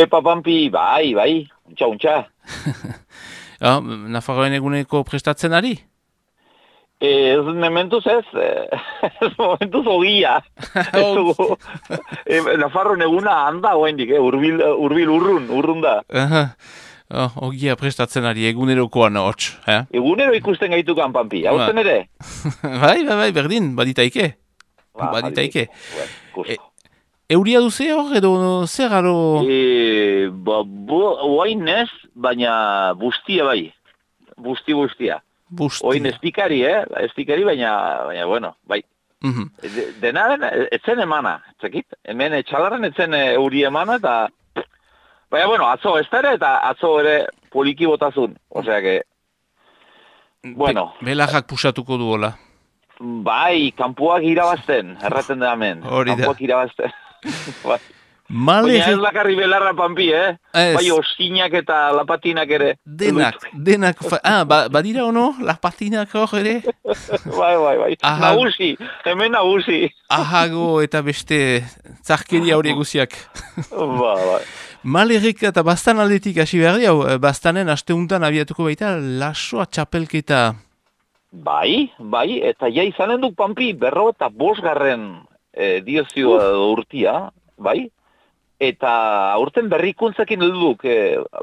Pampi, bai, untxa. Nafarroen eguneko prestatzen ari? Ez mementuz ez, momentuz ogia. Nafarroen eguna handa oendik, urbil urrun da. Ogia prestatzen ari, egunerokoan hots. Egunero ikusten gaitukan, Pampi, hauzen ere? Bai, berdin, baditaike. Baditaike. Euria duze hor, edo zer garo? Oain ez, baina bustia bai. Bustia. Oin estikari, baina, bueno, bai. Denaren, etzen emana, zekit? Hemen etxalarren etzen euri emana, eta... Baina, bueno, atzo ez eta atzo ere poliki botazun. Osea que... Bueno... Belajak pusatuko duola. Bai, kanpuak irabazten, erraten da hemen. Hori da. Kanpuak irabazten. Bai. Baina ez bakarri belarra, Pampi, Bai, oskinak eta lapatinak ere. Denak. Badira ono, lapatinak hor ere? Bai. Hemen nagusi. Ahago eta beste zarkeria hori guziak. Bai. Malerrik eta bastan aldetik hasi behar di, bastanen asteuntan abiatuko baita lasoa txapelketa. Bai, eta izanen duk, Pampi, 55. Diozioa urtia, bai? Eta aurten berrikuntzekin duduk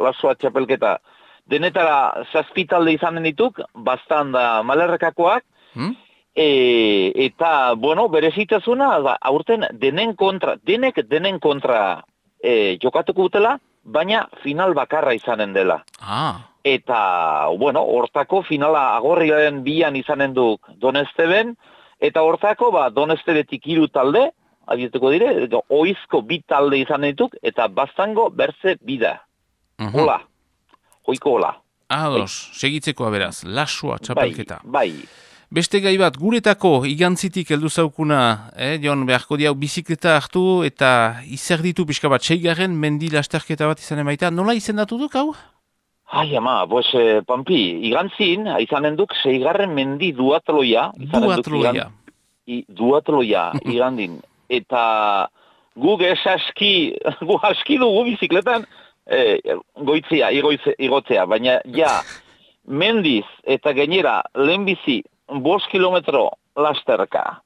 lasoa txapelketa. Denetara 7 talde izanen dituk, bastan da malerrekakoak, eta, bueno, berezitasuna, aurten denen kontra jokatuko dutela, baina final bakarra izanen dela. Eta, bueno, hortako finala agorriaren 2an izanen duk Donesteben, eta hortako, Donestebetik 3 talde, abietuko dire, oizko 2 talde izan dituk, eta bastango berze bida. Hola. Hoiko hola. Ados, segitzekoa beraz, lasua txapelketa. Bai. Beste gai bat, guretako igantzitik heldu zaukuna, Jon, beharko diau bizikleta hartu, eta izer ditu pixka bat, 6. mendi lasterketa bat izan emaita. Nola izendatu duk, hau? Ai, ama, Pampi, igantzin, izanen duk 6. mendi duatloia. Duatloia, igandin. Eta guk aski dugu bizikletan igotzea, baina mendiz eta gainera lehenbizi 5 kilometro lasterka,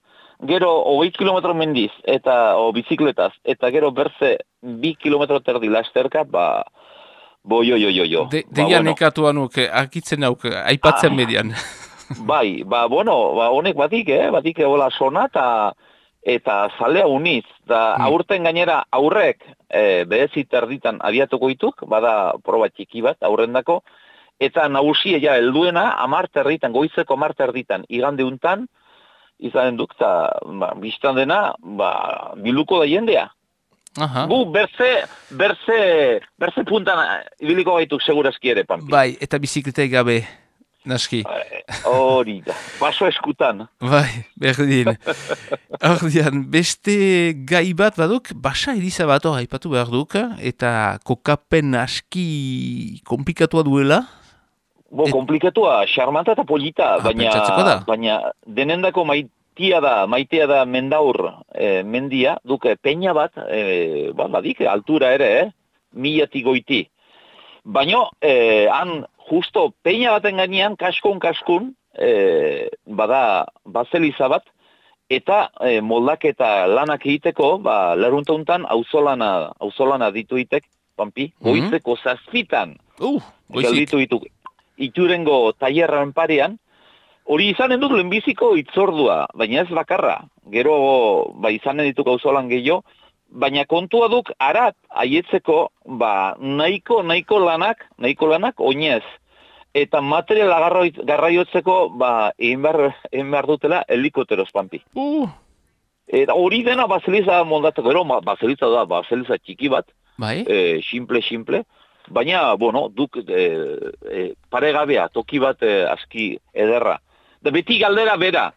gero 20 kilometro mendiz eta bizikletaz, eta gero berze 2 kilometro terdi lasterka, jo. Deia nekatu anuk, akitzen nauk, aipatzen median. Bai, honek batik hola sona, eta zalea uniz, da aurten gainera aurrek berezit erditan abiatuko dituk, bada proba txiki bat aurrendako, eta nagusia helduena 10 erditan, goizeko 10 erditan, igande untan, izanen duk, eta biztan dena, biluko da jendea. Gu berze puntan ibiliko gaituk segurazki ere, Pampi. Bai, eta bizikletai gabe. Naski. Hori da, baso eskutan. Bai, berdin. Ordian, beste gai bat baduk, basa eriza bat aipatu behar duk, eta kokapen aski komplikatua duela. Komplikatua, xarmanta eta polita, baina denendako maitea da mendaur mendia, duke peña bat, badik, altura ere, 1000 goiti. Baina, han, justo peña baten gainean, kaskun, bada bazeliza bat, eta moldaketa lanak egiteko, leruntauntan auzolana dituitek, Pampi, goizeko 7 dituk iturengo tailerraren parean, hori izanen dut lehenbiziko itzordua, baina ez bakarra, gero izanen dituk auzolan gehiago, baina kontua duk arat aietzeko nahiko lanak oinez. Eta materiala garraiotzeko egin behar dutela helikopteroz, Pampi. Eta hori dena bazeliza moldatzeko, bazeliza da, bazeliza txiki bat, simple, baina, duk paregabea, toki bat aski ederra. Da beti galdera bera,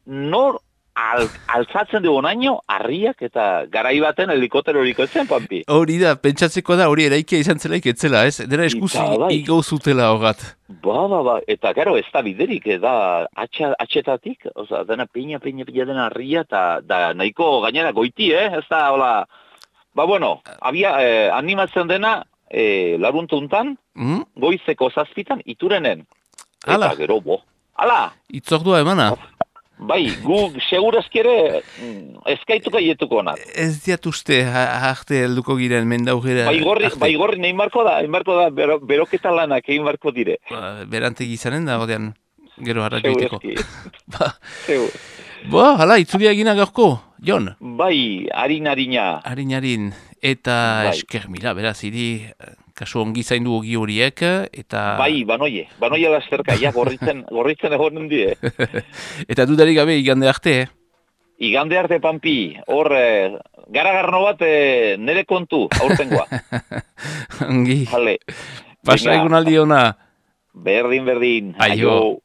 nor altzatzen dugu naino, harriak eta garai baten helikoptero horikoetzen, Pampi. Hori da, pentsatzeko da, hori eraikia izan zelaik etzela, ez? Dena eskuzi igau zutela hogat. Eta gero ez da biderik, da atxetatik, dena peña dena harria, eta nahiko gainera goiti, ez da, hola, bueno, animatzen dena, laruntuntan, goizeko 7 iturenen. Ala. Eta gero, ala! Itzordua emana? Bai, gu segurazki ere eskaituko aietuko nat. Ez diat uste arte helduko giren mendaugera. Bai gorri nahi marko da, beroketa lanak egin marko dire. Berantegi izanen da, ordean, gero harra joiteko. Zeu. Hala, itzulia egina gaurko, Jon? Bai, harina. Harin, eta esker mila, beraz, hiri, kasu ongi zaindu ogi horiek, eta... Bai, banoie lasterka, gorritzen egonen die. Eta dudarik gabe, igande arte, Igande arte, Pampi, hor, garagarno bat nere kontu, aurtengoa. Ongi. Hale. Pasa egun aldi ona. Berdin. Aio.